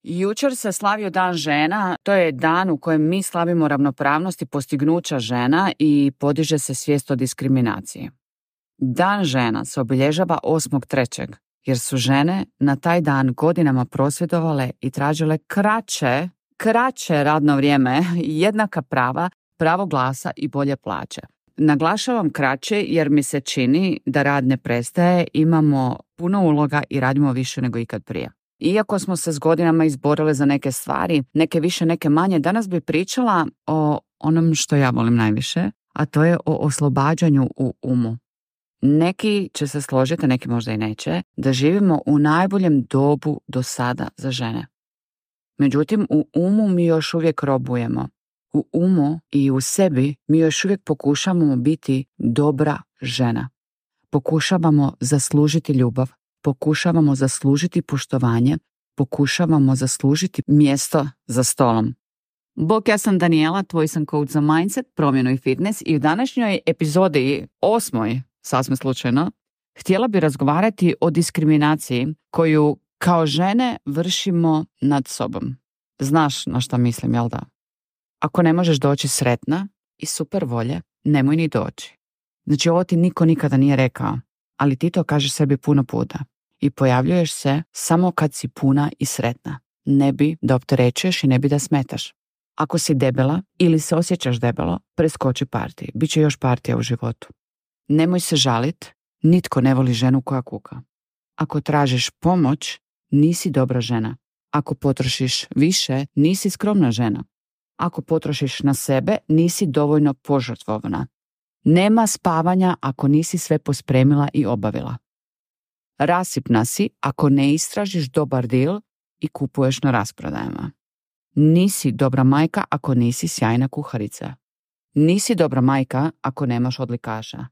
Jučer se slavio Dan žena, to je dan u kojem mi slavimo ravnopravnost i postignuća žena i podiže se svijest o diskriminaciji. Dan žena se obilježava 8.3. jer su žene na taj dan godinama prosvjedovale i tražile kraće radno vrijeme, jednaka prava, pravo glasa i bolje plaće. Naglašavam kraće jer mi se čini da rad ne prestaje, imamo puno uloga i radimo više nego ikad prije. Iako smo se s godinama izborile za neke stvari, neke više, neke manje, danas bi pričala o onom što ja volim najviše, a to je o oslobađanju u umu. Neki će se složiti, neki možda i neće, da živimo u najboljem dobu do sada za žene. Međutim, u umu mi još uvijek robujemo. U umu i u sebi mi još uvijek pokušavamo biti dobra žena. Pokušavamo zaslužiti ljubav, pokušavamo zaslužiti poštovanje, pokušavamo zaslužiti mjesto za stolom. Bok, ja sam Daniela, tvoj sam coach za mindset, promjenu i fitness i u današnjoj epizodi 8. sasvim slučajno, htjela bi razgovarati o diskriminaciji koju kao žene vršimo nad sobom. Znaš na šta mislim, jel da? Ako ne možeš doći sretna i super volje, nemoj ni doći. Znači, ovo ti niko nikada nije rekao, ali ti to kažeš sebi puno puta. I pojavljuješ se samo kad si puna i sretna. Ne bi da opterećuješ i ne bi da smetaš. Ako si debela ili se osjećaš debelo, preskoči partiji. Biće još partija u životu. Nemoj se žalit, nitko ne voli ženu koja kuka. Ako tražiš pomoć, nisi dobra žena. Ako potrošiš više, nisi skromna žena. Ako potrošiš na sebe, nisi dovoljno požrtvovna. Nema spavanja ako nisi sve pospremila i obavila. Rasipna si ako ne istražiš dobar deal i kupuješ na rasprodajama. Nisi dobra majka ako nisi sjajna kuharica. Nisi dobra majka ako nemaš odlikaša.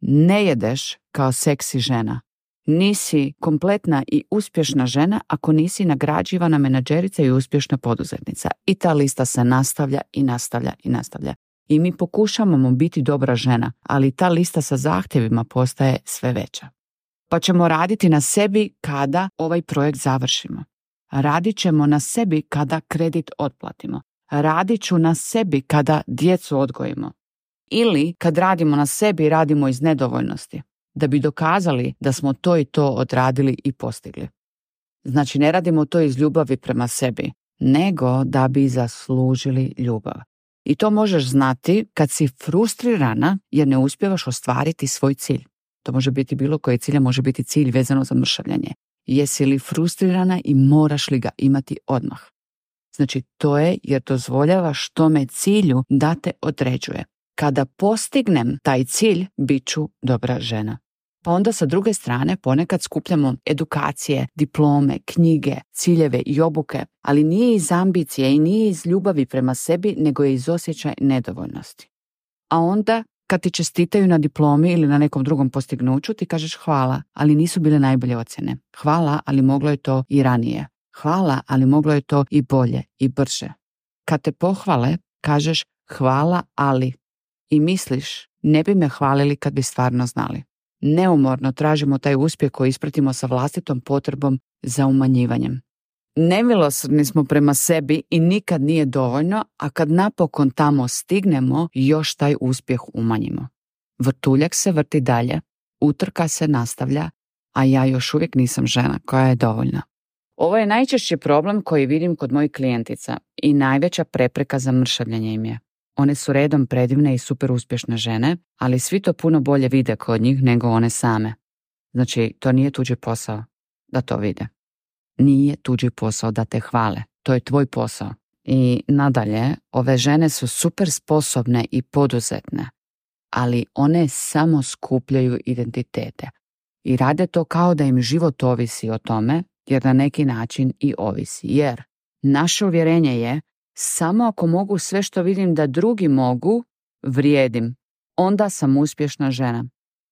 Ne jedeš kao seksi žena. Nisi kompletna i uspješna žena ako nisi nagrađivana menadžerica i uspješna poduzetnica. I ta lista se nastavlja i nastavlja i nastavlja. I mi pokušavamo biti dobra žena, ali ta lista sa zahtjevima postaje sve veća. Pa ćemo raditi na sebi kada ovaj projekt završimo. Radit ćemo na sebi kada kredit otplatimo. Radit ću na sebi kada djecu odgojimo. Ili kad radimo na sebi, radimo iz nedovoljnosti, da bi dokazali da smo to i to odradili i postigli. Znači, ne radimo to iz ljubavi prema sebi, nego da bi zaslužili ljubav. I to možeš znati kad si frustrirana jer ne uspijevaš ostvariti svoj cilj. To može biti bilo koji cilj, može biti cilj vezano za mršavljanje. Jesi li frustrirana i moraš li ga imati odmah? Znači, to je jer dozvoljavaš tome cilju da te određuje. Kada postignem taj cilj, bit ću dobra žena. Pa onda sa druge strane ponekad skupljamo edukacije, diplome, knjige, ciljeve i obuke, ali nije iz ambicije i nije iz ljubavi prema sebi, nego je iz osjećaja nedovoljnosti. A onda kad ti čestitaju na diplomi ili na nekom drugom postignuću, ti kažeš hvala, ali nisu bile najbolje ocjene. Hvala, ali moglo je to i ranije. Hvala, ali moglo je to i bolje i brže. Kad te pohvale, kažeš hvala, ali. I misliš, ne bi me hvalili kad bi stvarno znali. Neumorno tražimo taj uspjeh koji ispratimo sa vlastitom potrebom za umanjivanjem. Nemilosrdni smo prema sebi i nikad nije dovoljno, a kad napokon tamo stignemo, još taj uspjeh umanjimo. Vrtuljak se vrti dalje, utrka se nastavlja, a ja još uvijek nisam žena koja je dovoljna. Ovo je najčešći problem koji vidim kod mojih klijentica i najveća prepreka za mršavljenje im je. One su redom predivne i super uspješne žene, ali svi to puno bolje vide kod njih nego one same. Znači, to nije tuđi posao da to vide. Nije tuđi posao da te hvale. To je tvoj posao. I nadalje, ove žene su super sposobne i poduzetne, ali one samo skupljaju identitete. I rade to kao da im život ovisi o tome, jer na neki način i ovisi. Jer naše uvjerenje je samo ako mogu sve što vidim da drugi mogu, vrijedim. Onda sam uspješna žena.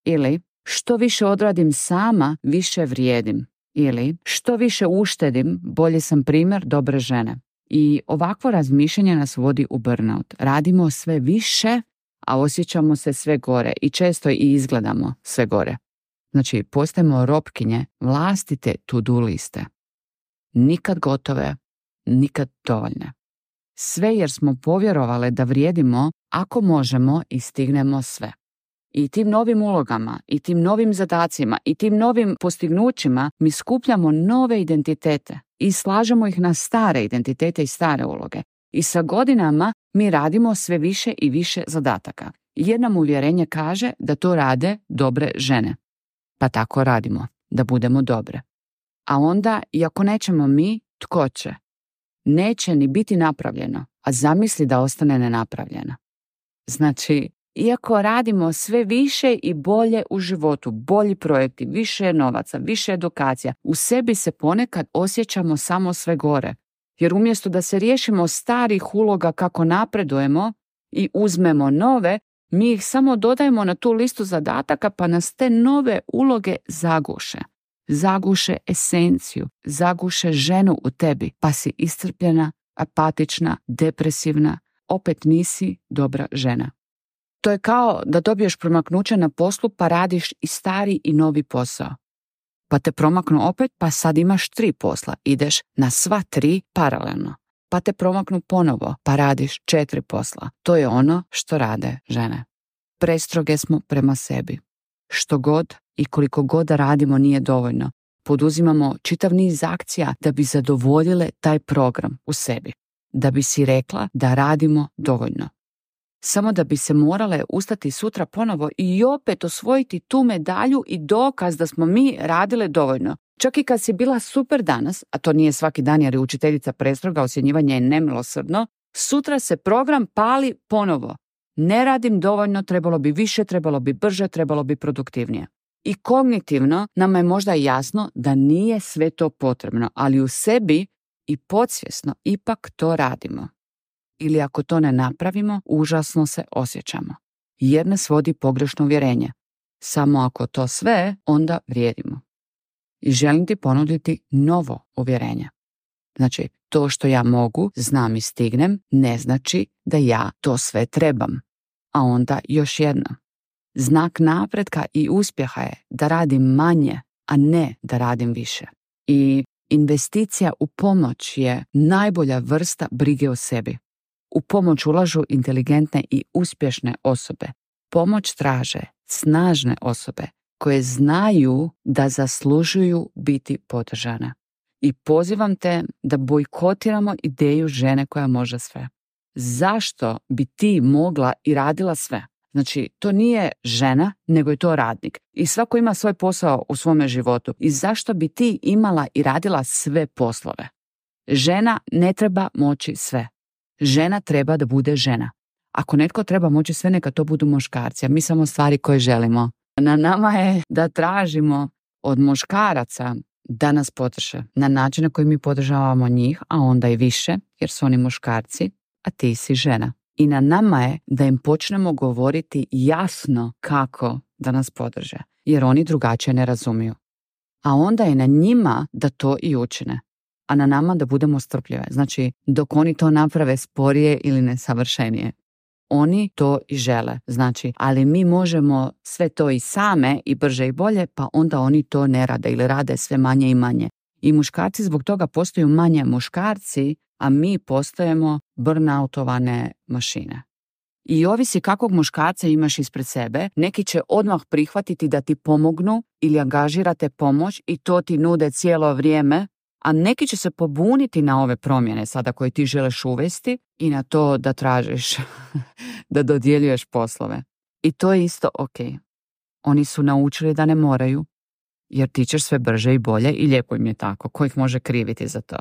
Ili što više odradim sama, više vrijedim. Ili što više uštedim, bolje sam primjer dobre žene. I ovakvo razmišljanje nas vodi u burnout. Radimo sve više, a osjećamo se sve gore i često i izgledamo sve gore. Znači, postajemo robkinje vlastite to-do liste. nikad gotove, nikad dovoljne. Sve jer smo povjerovale da vrijedimo ako možemo i stignemo sve. I tim novim ulogama, i tim novim zadacima, i tim novim postignućima mi skupljamo nove identitete i slažemo ih na stare identitete i stare uloge. I sa godinama mi radimo sve više i više zadataka. Jer nam uvjerenje kaže da to rade dobre žene. Pa tako radimo, da budemo dobre. A onda, iako nećemo mi, tko će? Neće ni biti napravljeno, a zamisli da ostane nenapravljeno. Znači, iako radimo sve više i bolje u životu, bolji projekti, više novaca, više edukacija, u sebi se ponekad osjećamo samo sve gore. Jer umjesto da se riješimo starih uloga kako napredujemo i uzmemo nove, mi ih samo dodajemo na tu listu zadataka pa nas te nove uloge zaguše. Zaguše esenciju, zaguše ženu u tebi, pa si iscrpljena, apatična, depresivna, opet nisi dobra žena. To je kao da dobiješ promaknuće na poslu pa radiš i stari i novi posao. Pa te promaknu opet pa sad imaš 3 posla, ideš na sva 3 paralelno. Pa te promaknu ponovo pa radiš 4 posla. To je ono što rade žene. Prestroge smo prema sebi. Što god i koliko god da radimo nije dovoljno. Poduzimamo čitav niz akcija da bi zadovoljile taj program u sebi. Da bi si rekla da radimo dovoljno. Samo da bi se morale ustati sutra ponovo i opet osvojiti tu medalju i dokaz da smo mi radile dovoljno. Čak i kad si bila super danas, a to nije svaki dan jer je učiteljica prestroga, ocjenjivanje je nemilosrdno, sutra se program pali ponovo. Ne radim dovoljno, trebalo bi više, trebalo bi brže, trebalo bi produktivnije. I kognitivno nama je možda jasno da nije sve to potrebno, ali u sebi i podsvjesno ipak to radimo. Ili ako to ne napravimo, užasno se osjećamo. Jer nas vodi pogrešno uvjerenje. Samo ako to sve, onda vrijedimo. I želim ti ponuditi novo uvjerenje. Znači, to što ja mogu, znam i stignem, ne znači da ja to sve trebam. A onda još jedno. Znak napretka i uspjeha je da radim manje, a ne da radim više. I investicija u pomoć je najbolja vrsta brige o sebi. U pomoć ulažu inteligentne i uspješne osobe. Pomoć traže snažne osobe koje znaju da zaslužuju biti podržane. I pozivam te da bojkotiramo ideju žene koja može sve. Zašto bi ti mogla i radila sve? Znači, to nije žena, nego je to radnik. I svako ima svoj posao u svome životu. I zašto bi ti imala i radila sve poslove? Žena ne treba moći sve. Žena treba da bude žena. Ako netko treba moći sve, neka to budu muškarci, a mi samo stvari koje želimo. Na nama je da tražimo od muškaraca da nas podrže na način na koji mi podržavamo njih, a onda i više, jer su oni muškarci, a ti si žena. I na nama je da im počnemo govoriti jasno kako da nas podrže, jer oni drugačije ne razumiju. A onda je na njima da to i učine, a na nama da budemo strpljive. Znači, dok oni to naprave sporije ili nesavršenije. Oni to i žele, znači, ali mi možemo sve to i same i brže i bolje, pa onda oni to ne rade ili rade sve manje i manje. I muškarci zbog toga postaju manje muškarci, a mi postajemo burnoutovane mašine. I ovisi kakvog muškarca imaš ispred sebe, neki će odmah prihvatiti da ti pomognu ili angažirate pomoć i to ti nude cijelo vrijeme, a neki će se pobuniti na ove promjene sada koje ti želiš uvesti i na to da tražiš, da dodjeljuješ poslove. I to je isto ok. Oni su naučili da ne moraju, jer ti ćeš sve brže i bolje i lijepo im je tako, ko ih može kriviti za to.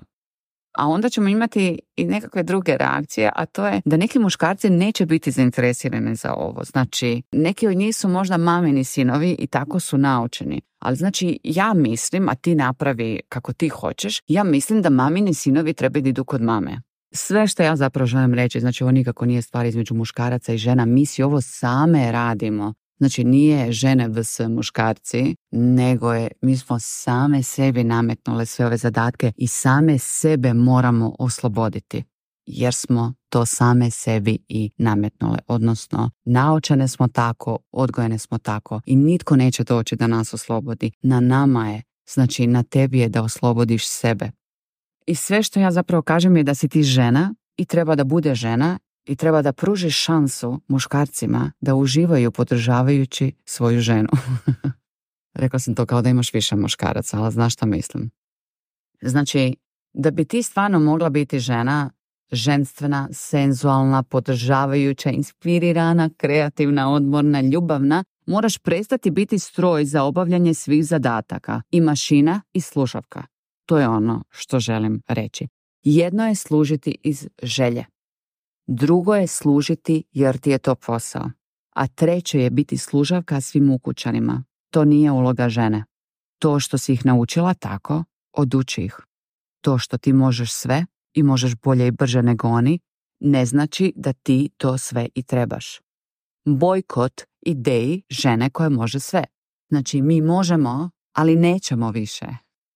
A onda ćemo imati i nekakve druge reakcije, a to je da neki muškarci neće biti zainteresirani za ovo. Znači, neki od njih su možda mamini sinovi i tako su naučeni. Ali znači, ja mislim, a ti napravi kako ti hoćeš, ja mislim da mamini sinovi trebaju da idu kod mame. Sve što ja zapravo želim reći, znači ovo nikako nije stvar između muškaraca i žena, mi si ovo same radimo. Znači nije žene vs muškarci, nego je, mi smo same sebi nametnule sve ove zadatke i same sebe moramo osloboditi. Jer smo to same sebi i nametnule, odnosno naučene smo tako, odgojene smo tako i nitko neće doći da nas oslobodi. Na nama je, znači na tebi je da oslobodiš sebe. I sve što ja zapravo kažem je da si ti žena i treba da bude žena i treba da pružiš šansu muškarcima da uživaju podržavajući svoju ženu. Rekla sam to kao da imaš više muškaraca, ali znaš šta mislim. Znači, da bi ti stvarno mogla biti žena, ženstvena, senzualna, podržavajuća, inspirirana, kreativna, odmorna, ljubavna, moraš prestati biti stroj za obavljanje svih zadataka i mašina i slušavka. To je ono što želim reći. Jedno je služiti iz želje. Drugo je služiti jer ti je to posao. A treće je biti služavka svim ukućanima. To nije uloga žene. To što si ih naučila tako, oduči ih. To što ti možeš sve i možeš bolje i brže nego oni, ne znači da ti to sve i trebaš. Bojkot ideji žene koja može sve. Znači, mi možemo, ali nećemo više.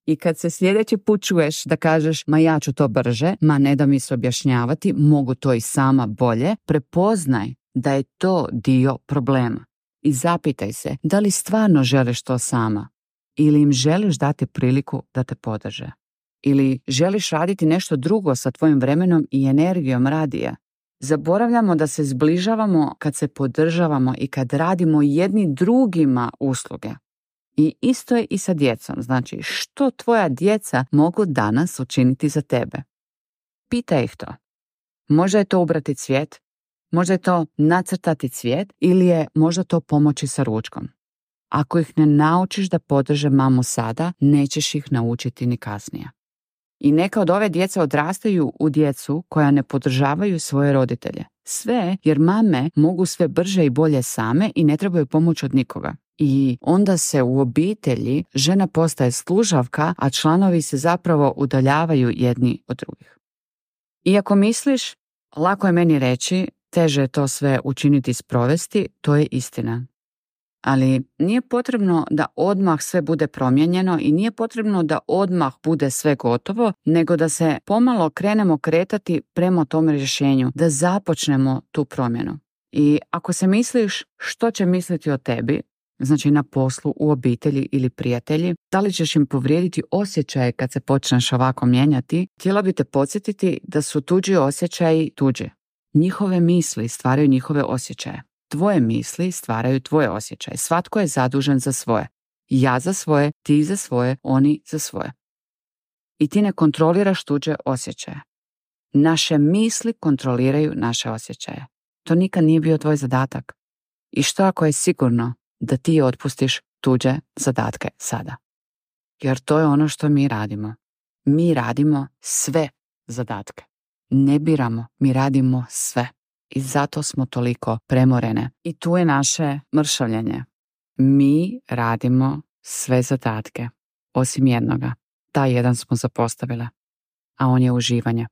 I kad se sljedeći put čuješ da kažeš ma ja ću to brže, ma ne da mi se objašnjavati, mogu to i sama bolje, prepoznaj da je to dio problema. I zapitaj se da li stvarno želiš to sama ili im želiš dati priliku da te podrže. Ili želiš raditi nešto drugo sa tvojim vremenom i energijom radija. Zaboravljamo da se zbližavamo kad se podržavamo i kad radimo jedni drugima usluge. I isto je i sa djecom. Znači, što tvoja djeca mogu danas učiniti za tebe? Pitaj ih to. Možda je to ubrati cvijet, možda je to nacrtati cvijet ili je možda to pomoći sa ručkom. Ako ih ne naučiš da podrže mamu sada, nećeš ih naučiti ni kasnije. I neka od ove djece odrastaju u djecu koja ne podržavaju svoje roditelje. Sve jer mame mogu sve brže i bolje same i ne trebaju pomoć od nikoga. I onda se u obitelji žena postaje služavka, a članovi se zapravo udaljavaju jedni od drugih. Iako misliš, lako je meni reći, teže je to sve učiniti i sprovesti, to je istina. Ali nije potrebno da odmah sve bude promijenjeno i nije potrebno da odmah bude sve gotovo, nego da se pomalo krenemo kretati prema tom rješenju, da započnemo tu promjenu. I ako se misliš što će misliti o tebi, znači na poslu, u obitelji ili prijatelji, da li ćeš im povrijediti osjećaje kad se počneš ovako mijenjati, htjela bi te podsjetiti da su tuđi osjećaji tuđi. Njihove misli stvaraju njihove osjećaje. Tvoje misli stvaraju tvoje osjećaje. Svatko je zadužen za svoje. Ja za svoje, ti za svoje, oni za svoje. I ti ne kontroliraš tuđe osjećaje. Naše misli kontroliraju naše osjećaje. To nikad nije bio tvoj zadatak. I što ako je sigurno da ti otpustiš tuđe zadatke sada? Jer to je ono što mi radimo. Mi radimo sve zadatke. Ne biramo, mi radimo sve. I zato smo toliko premorene. I tu je naše mršavljenje. Mi radimo sve zadatke, osim jednoga. Taj jedan smo zapostavile, a on je uživanje.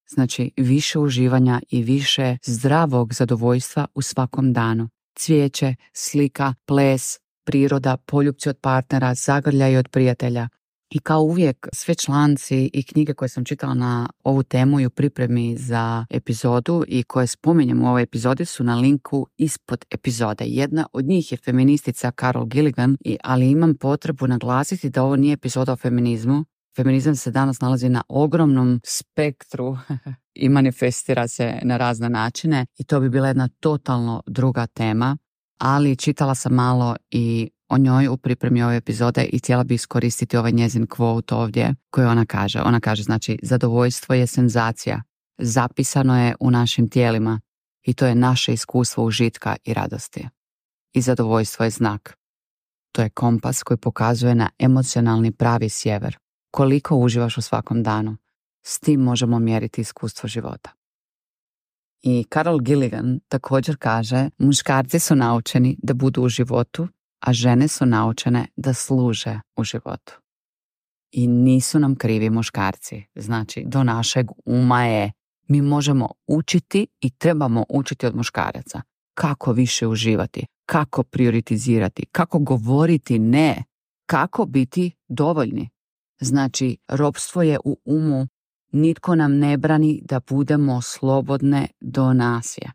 Znači, više uživanja i više zdravog zadovoljstva u svakom danu. Cvijeće, slika, ples, priroda, poljupci od partnera, zagrljaj od prijatelja. I kao uvijek, sve članci i knjige koje sam čitala na ovu temu i u pripremi za epizodu i koje spominjem u ovoj epizodi su na linku ispod epizode. Jedna od njih je feministica Carol Gilligan, ali imam potrebu naglasiti da ovo nije epizoda o feminizmu. Feminizam se danas nalazi na ogromnom spektru i manifestira se na razne načine i to bi bila jedna totalno druga tema, ali čitala sam malo i o njoj u pripremi ove epizode i htjela bi iskoristiti ovaj njezin quote ovdje koji ona kaže. Ona kaže, znači, zadovoljstvo je senzacija, zapisano je u našim tijelima i to je naše iskustvo užitka i radosti. I zadovoljstvo je znak. To je kompas koji pokazuje na emocionalni pravi sjever. Koliko uživaš u svakom danu, s tim možemo mjeriti iskustvo života. I Carol Gilligan također kaže, muškarci su naučeni da budu u životu, a žene su naučene da služe u životu. I nisu nam krivi muškarci. Znači, do našeg uma je, mi možemo učiti i trebamo učiti od muškaraca. Kako više uživati, kako prioritizirati, kako govoriti ne, kako biti dovoljni. Znači, ropstvo je u umu, nitko nam ne brani da budemo slobodne do nasilja.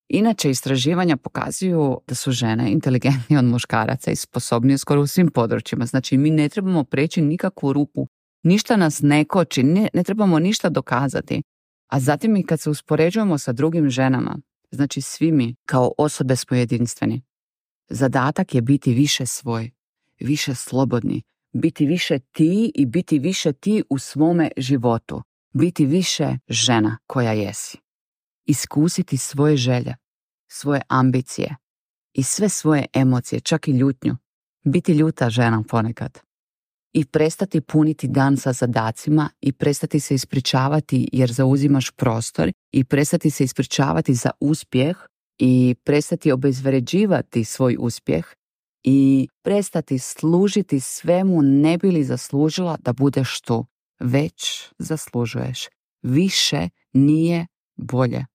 Inače, istraživanja pokazuju da su žene inteligentnije od muškaraca i sposobnije skoro u svim područjima. Znači, mi ne trebamo preći nikakvu rupu Ništa nas ne koči, ne trebamo ništa dokazati. A zatim i kad se uspoređujemo sa drugim ženama, znači svi mi kao osobe smo jedinstveni. Zadatak je biti više svoj, više slobodni, biti više ti i biti više ti u svome životu. Biti više žena koja jesi. Iskusiti svoje želje, svoje ambicije i sve svoje emocije, čak i ljutnju. Biti ljuta žena ponekad. I prestati puniti dan sa zadacima i prestati se ispričavati jer zauzimaš prostor i prestati se ispričavati za uspjeh i prestati obezvređivati svoj uspjeh i prestati služiti svemu ne bi li zaslužila da budeš tu. Već zaslužuješ. Više nije bolje.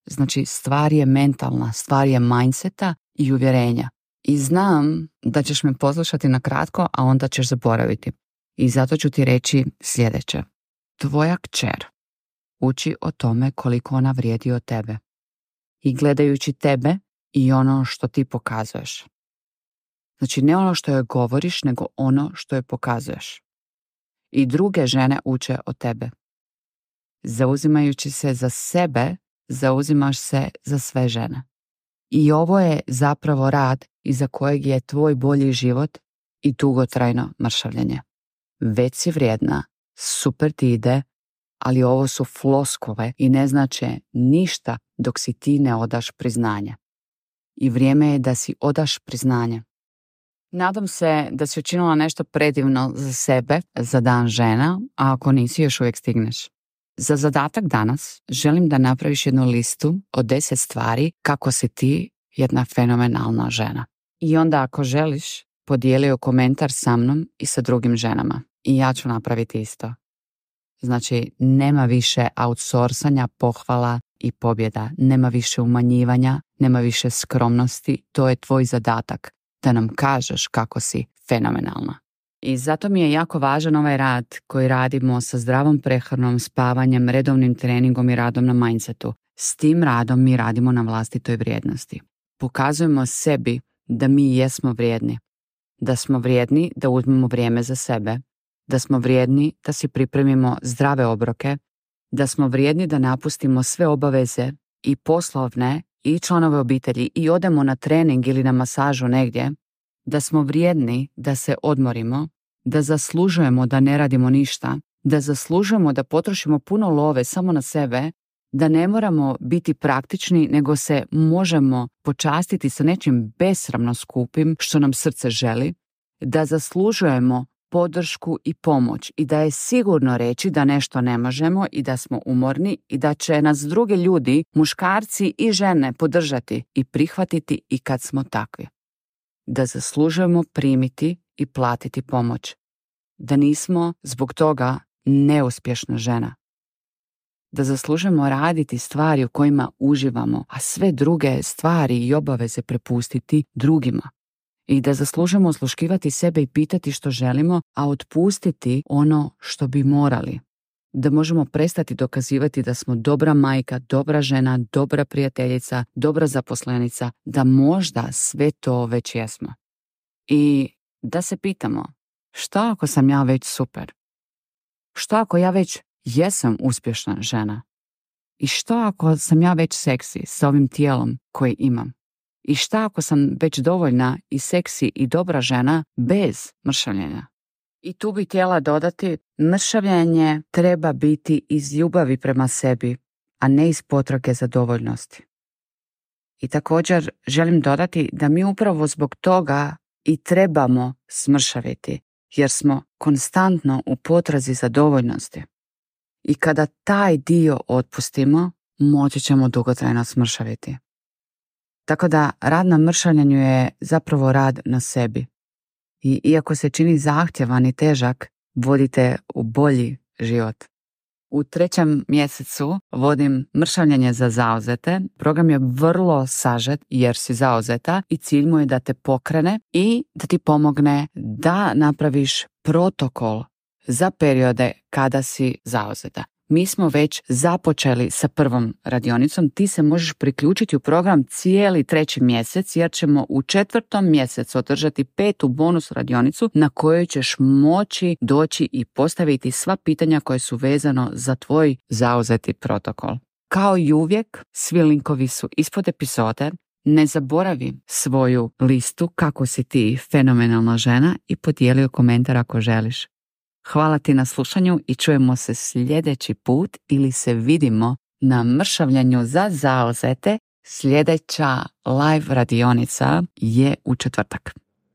Znači stvar je mentalna, stvar je mindseta i uvjerenja. I znam da ćeš me poslušati na kratko, a onda ćeš zaboraviti. I zato ću ti reći sljedeće. Tvoja kćer uči o tome koliko ona vrijedi od tebe. I gledajući tebe i ono što ti pokazuješ. Znači ne ono što joj govoriš, nego ono što joj pokazuješ. I druge žene uče od tebe. Zauzimajući se za sebe, zauzimaš se za sve žene. I ovo je zapravo rad iza kojeg je tvoj bolji život i dugotrajno mršavljenje. Već si vrijedna, super ti ide, ali ovo su floskule i ne znače ništa dok si ti ne odaš priznanje. I vrijeme je da si odaš priznanje. Nadam se da si učinila nešto predivno za sebe, za dan žena, a ako nisi još uvijek stigneš. Za zadatak danas želim da napraviš jednu listu od 10 stvari kako si ti jedna fenomenalna žena. I onda ako želiš, podijeli komentar sa mnom i sa drugim ženama. I ja ću napraviti isto. Znači, nema više outsourcanja, pohvala i pobjeda. Nema više umanjivanja, nema više skromnosti. To je tvoj zadatak, da nam kažeš kako si fenomenalna. I zato mi je jako važan ovaj rad koji radimo sa zdravom prehranom, spavanjem, redovnim treningom i radom na mindsetu. S tim radom mi radimo na vlastitoj vrijednosti. Pokazujemo sebi da mi jesmo vrijedni. Da smo vrijedni da uzmemo vrijeme za sebe. Da smo vrijedni da si pripremimo zdrave obroke. Da smo vrijedni da napustimo sve obaveze i poslovne i članove obitelji i odemo na trening ili na masažu negdje. Da smo vrijedni da se odmorimo. Da zaslužujemo da ne radimo ništa. Da zaslužujemo da potrošimo puno love samo na sebe. Da ne moramo biti praktični, nego se možemo počastiti sa nečim besramno skupim što nam srce želi, da zaslužujemo podršku i pomoć i da je sigurno reći da nešto ne možemo i da smo umorni i da će nas drugi ljudi, muškarci i žene podržati i prihvatiti i kad smo takvi. Da zaslužujemo primiti i platiti pomoć. Da nismo zbog toga neuspješna žena. Da zaslužujemo raditi stvari u kojima uživamo, a sve druge stvari i obaveze prepustiti drugima. I da zaslužujemo osluškivati sebe i pitati što želimo, a otpustiti ono što bi morali. Da možemo prestati dokazivati da smo dobra majka, dobra žena, dobra prijateljica, dobra zaposlenica, da možda sve to već jesmo. I da se pitamo, što ako sam ja već super? Što ako ja već jesam uspješna žena? I što ako sam ja već seksi sa ovim tijelom koji imam? I što ako sam već dovoljna i seksi i dobra žena bez mršavljenja? I tu bih htjela dodati, mršavljenje treba biti iz ljubavi prema sebi, a ne iz potrage za dovoljnosti. I također želim dodati da mi upravo zbog toga i trebamo smršaviti, jer smo konstantno u potrazi za dovoljnosti. I kada taj dio otpustimo, moći ćemo dugotrajno smršaviti. Tako da rad na mršavljenju je zapravo rad na sebi. I iako se čini zahtjevan i težak, vodite u bolji život. U 3. mjesecu vodim mršavljenje za zauzete. Program je vrlo sažet jer si zauzeta i cilj mu je da te pokrene i da ti pomogne da napraviš protokol za periode kada si zauzeta. Mi smo već započeli sa prvom radionicom. Ti se možeš priključiti u program cijeli 3. mjesec jer ćemo u 4. mjesecu održati 5. bonus radionicu na kojoj ćeš moći doći i postaviti sva pitanja koje su vezano za tvoj zauzeti protokol. Kao i uvijek, svi linkovi su ispod epizode. Ne zaboravi svoju listu kako si ti fenomenalna žena i podijeli komentar ako želiš. Hvala ti na slušanju i čujemo se sljedeći put ili se vidimo na mršavljanju za zauzete. Sljedeća live radionica je u četvrtak.